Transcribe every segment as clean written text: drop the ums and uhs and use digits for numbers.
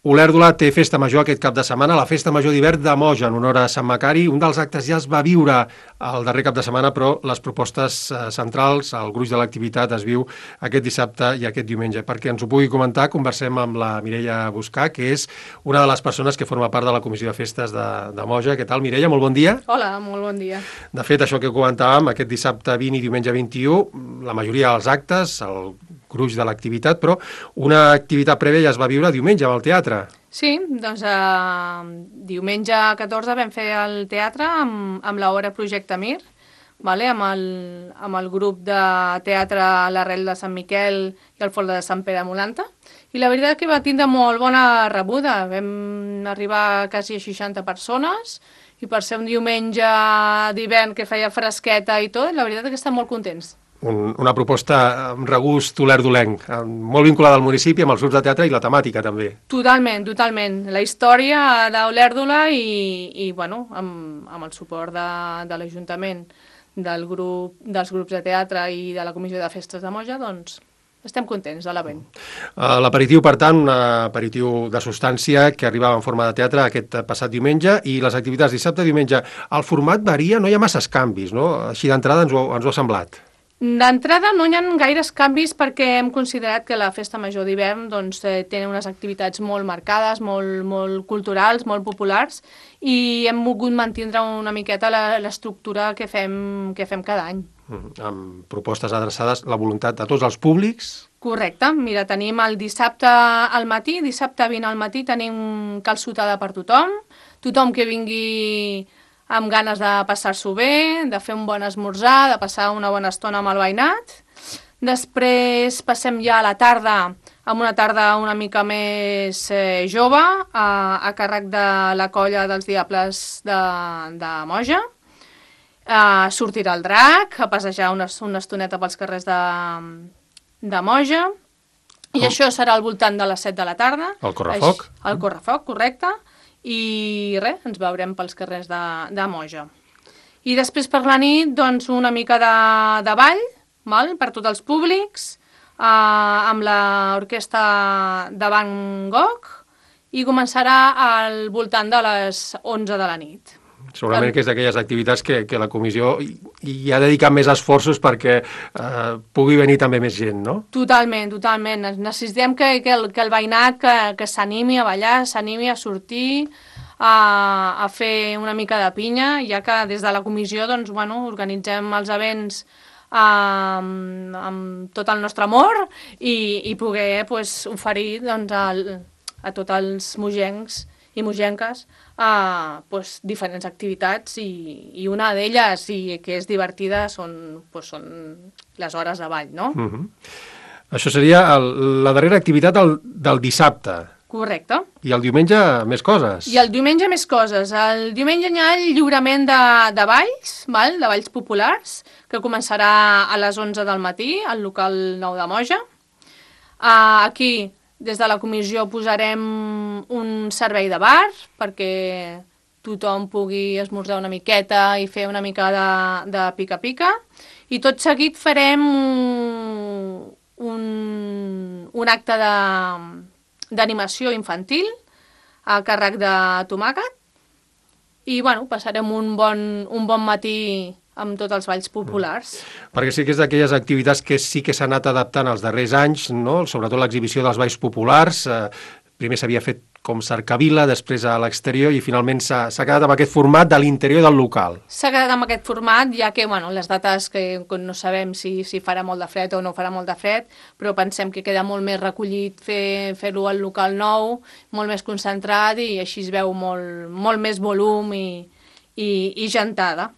Olèrdola té festa major aquest cap de setmana, la festa major d'hivern de Moja, en honor a Sant Macari. Un dels actes ja es va viure el darrer cap de setmana, però les propostes centrals, el gruix de l'activitat es viu aquest dissabte i aquest diumenge. Perquè ens ho pugui comentar, conversem amb la Mireia Buscà, que és una de les persones que forma part de la Comissió de Festes de Moja. Què tal, Mireia? Molt bon dia. Hola, molt bon dia. De fet, això que comentàvem, aquest dissabte 20 i diumenge 21, la majoria dels actes, el gruix de l'activitat, però una activitat prèvia ja es va viure diumenge amb el teatre. Sí, doncs diumenge 14 vam fer el teatre amb l'obra Projecte Mir, amb el grup de teatre L'Arrel de Sant Miquel i el Fol de Sant Pere Molanta, i la veritat que va tindre molt bona rebuda. Vam arribar quasi a 60 persones, i per ser un diumenge d'hivern que feia fresqueta i tot, la veritat és que estem molt contents. Una proposta amb regust olerdolenc, molt vinculada al municipi, amb els grups de teatre i la temàtica també. Totalment, totalment. La història d'Olèrdola i amb el suport de l'Ajuntament, dels grups de teatre i de la Comissió de Festes de Moja, doncs estem contents de l'event. L'aperitiu, per tant, un aperitiu de substància que arribava en forma de teatre aquest passat diumenge, i les activitats dissabte i diumenge. El format varia, no hi ha masses canvis, no? Així d'entrada ens ho ha semblat. D'entrada no hi ha gaires canvis perquè hem considerat que la festa major d'hivern doncs, té unes activitats molt marcades, molt culturals, molt populars, i hem volgut mantindre una miqueta l'estructura que fem cada any. Amb propostes adreçades a la voluntat de tots els públics. Correcte. Mira, tenim el dissabte al matí, dissabte 20 al matí, tenim calçotada per tothom que vingui amb ganes de passar-s'ho bé, de fer un bon esmorzar, de passar una bona estona amb el veïnat. Després passem ja a la tarda, amb una tarda una mica més jove, a càrrec de la colla dels Diables de Moja. Sortirà el drac, a passejar una estoneta pels carrers de Moja, i això serà al voltant de les 7 de la tarda. El correfoc. El correfoc, correcte. I res, ens veurem pels carrers de Moja. I després per la nit, doncs, una mica de ball, per tots els públics, amb l'orquestra de Van Gogh, i començarà al voltant de les 11 de la nit. Segurament que és d'aquelles activitats que la comissió hi ha dedicat més esforços perquè pugui venir també més gent, no? Totalment, totalment. Necessitem que el veïnat que s'animi a ballar, s'animi a sortir, a fer una mica de pinya, ja que des de la comissió doncs, organitzem els events amb tot el nostre amor i poder oferir doncs, a tots els mogencs i mogenques diferents activitats, i una d'elles, i que és divertida, són les hores de ball, no? Això seria la darrera activitat del dissabte. Correcte. I el diumenge més coses. I el diumenge més coses. El diumenge hi ha el lliurament de balls, de balls populars, que començarà a les 11 del matí al local 9 de Moja. Aquí, des de la comissió, posarem un servei de bar perquè tothom pugui esmorzar una miqueta i fer una mica de pica-pica. I tot seguit farem un acte d'animació infantil a càrrec de tomàquet. I passarem un bon matí amb tots els balls populars. Perquè sí que és d'aquelles activitats que sí que s'ha anat adaptant els darrers anys, no? Sobretot l'exhibició dels balls populars. Primer s'havia fet com cercavila, després a l'exterior, i finalment s'ha quedat amb aquest format de l'interior del local. S'ha quedat amb aquest format, ja que les dates que no sabem si farà molt de fred o no farà molt de fred, però pensem que queda molt més recollit fer-ho al local nou, molt més concentrat, i així es veu molt més volum i gentada.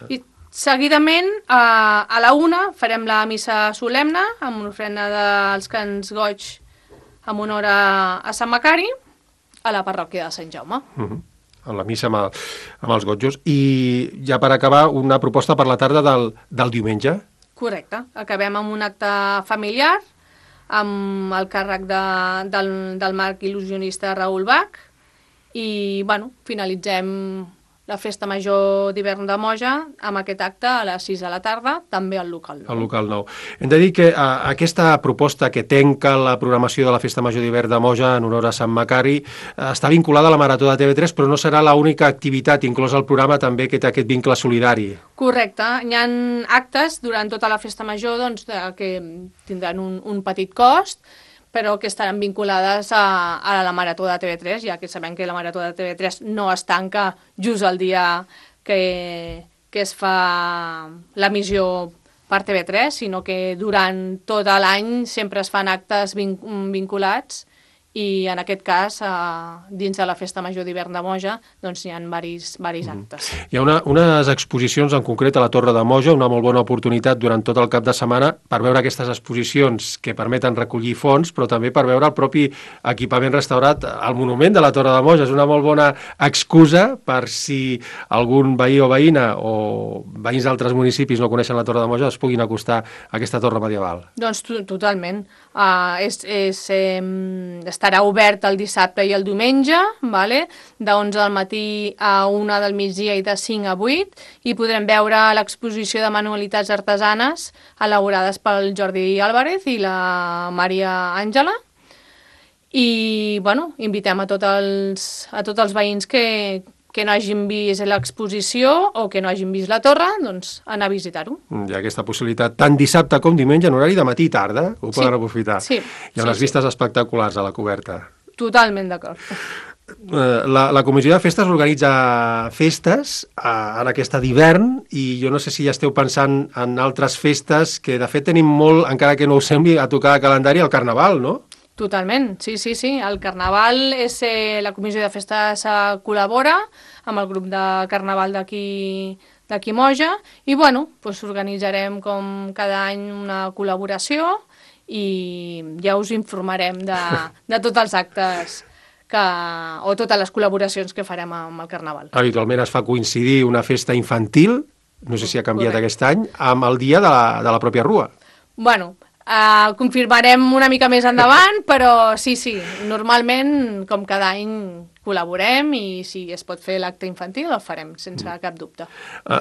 I seguidament, a la 1 farem la missa solemne amb una ofrena dels cants goig en honor a Sant Macari a la parròquia de Sant Jaume. En la missa amb els gotjos. I ja per acabar, una proposta per la tarda del diumenge. Correcte. Acabem amb un acte familiar amb el càrrec del mag il·lusionista Raül Bach, i finalitzem la Festa Major d'hivern de Moja, amb aquest acte a les 6 de la tarda, també al local 9. Al local 9. Hem de dir que aquesta proposta que tenca la programació de la Festa Major d'hivern de Moja en honor a Sant Macari està vinculada a la Marató de TV3, però no serà l'única activitat, inclòs el programa també que té aquest vincle solidari. Correcte. Hi ha actes durant tota la Festa Major doncs, que tindran un petit cost, però que estaran vinculades a la Marató de TV3, ja que sabem que la Marató de TV3 no es tanca just el dia que es fa l'emissió per TV3, sinó que durant tot l'any sempre es fan actes vinculats i en aquest cas, dins de la Festa Major d'hivern de Moja, doncs hi ha varis actes. Hi ha unes exposicions en concret a la Torre de Moja, una molt bona oportunitat durant tot el cap de setmana per veure aquestes exposicions que permeten recollir fons, però també per veure el propi equipament restaurat al monument de la Torre de Moja. És una molt bona excusa per si algun veí o veïna o veïns d'altres municipis no coneixen la Torre de Moja, es puguin acostar a aquesta torre medieval. Doncs totalment. Estarà obert el dissabte i el diumenge, vale? De 11 del matí a 1 del migdia i de 5 a 8, i podrem veure l'exposició de manualitats artesanes elaborades pel Jordi Álvarez i la Maria Àngela. I, bueno, invitem a tots els veïns que no hagin vist l'exposició o que no hagin vist la torre, doncs anar a visitar-ho. Hi ha aquesta possibilitat tant dissabte com diumenge en horari de matí i tarda, ho poden aprofitar. Sí. Hi ha unes vistes espectaculars a la coberta. Totalment d'acord. La Comissió de Festes organitza festes en aquesta d'hivern i jo no sé si ja esteu pensant en altres festes que de fet tenim molt, encara que no ho sembli, a tocar de calendari, el Carnaval, no? Totalment, sí. El Carnaval la Comissió de Festes col·labora amb el grup de Carnaval d'aquí Moja i, bueno, doncs organitzarem com cada any una col·laboració i ja us informarem de tots els actes o totes les col·laboracions que farem amb el Carnaval. Habitualment es fa coincidir una festa infantil, no sé si ha canviat aquest any, amb el dia de la pròpia Rua. Bueno, confirmarem una mica més endavant, però sí, normalment, com cada any, col·laborem i si es pot fer l'acte infantil el farem, sense cap dubte.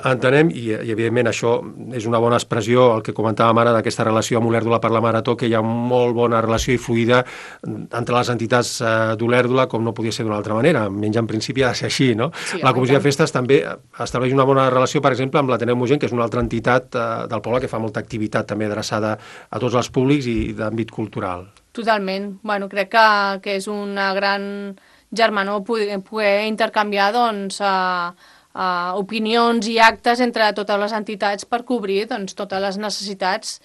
Entenem, i evidentment això és una bona expressió, el que comentàvem ara d'aquesta relació amb Olèrdola per la Marató, que hi ha molt bona relació i fluida entre les entitats d'Olèrdola, com no podia ser d'una altra manera, menys en principi ha de ser així, no? Sí, la Comissió de Festes també estableix una bona relació, per exemple, amb l'Ateneu Mogent, que és una altra entitat del poble que fa molta activitat també adreçada a tots els públics i d'àmbit cultural. Totalment. Bueno, crec que és una gran germanor poder intercanviar doncs, opinions i actes entre totes les entitats per cobrir doncs, totes les necessitats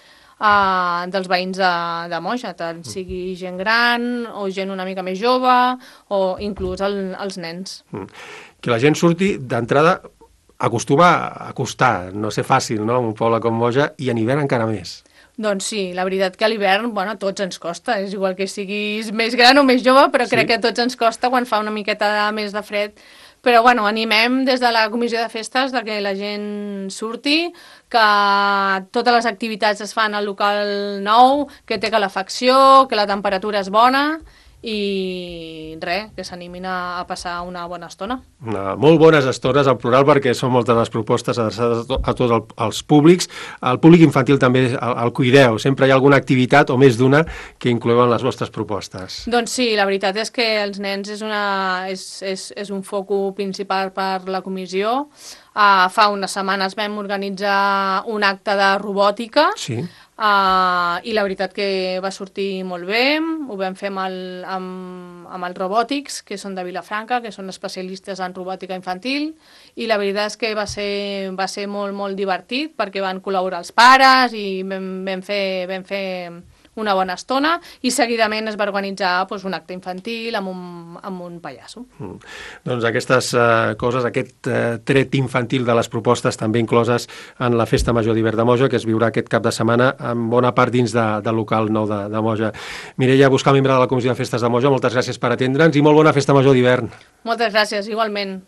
dels veïns de Moja, tant sigui gent gran o gent una mica més jove o inclús els nens. Que la gent surti d'entrada acostuma a costar, no ser fàcil, no?, en un poble com Moja, i en hivern encara més. Doncs sí, la veritat que a l'hivern, bueno, a tots ens costa, és igual que siguis més gran o més jove, però crec que a tots ens costa quan fa una miqueta més de fred. Però, bueno, animem des de la Comissió de Festes que la gent surti, que totes les activitats es fan al local 9, que té calefacció, que la temperatura és bona i res, que s'animin a passar una bona estona. Molt bones estones, en plural, perquè són moltes les propostes adreçades a tots els públics. El públic infantil també el cuideu. Sempre hi ha alguna activitat, o més d'una, que inclouen les vostres propostes. Doncs sí, la veritat és que els nens és un focus principal per la comissió. Fa unes setmanes vam organitzar un acte de robòtica. Sí. I la veritat que va sortir molt bé, ho vam fer amb els Robòtics, que són de Vilafranca, que són especialistes en robòtica infantil, i la veritat és que va ser molt, molt divertit, perquè van col·laborar els pares i vam fer una bona estona, i seguidament es va organitzar un acte infantil amb un pallasso. Doncs aquestes coses, aquest tret infantil de les propostes també incloses en la Festa Major d'hivern de Moja, que es viurà aquest cap de setmana en bona part dins del local 9 de Moja. Mireia Buscal, membre de la Comissió de Festes de Moja, moltes gràcies per atendre'ns i molt bona Festa Major d'hivern. Moltes gràcies, igualment.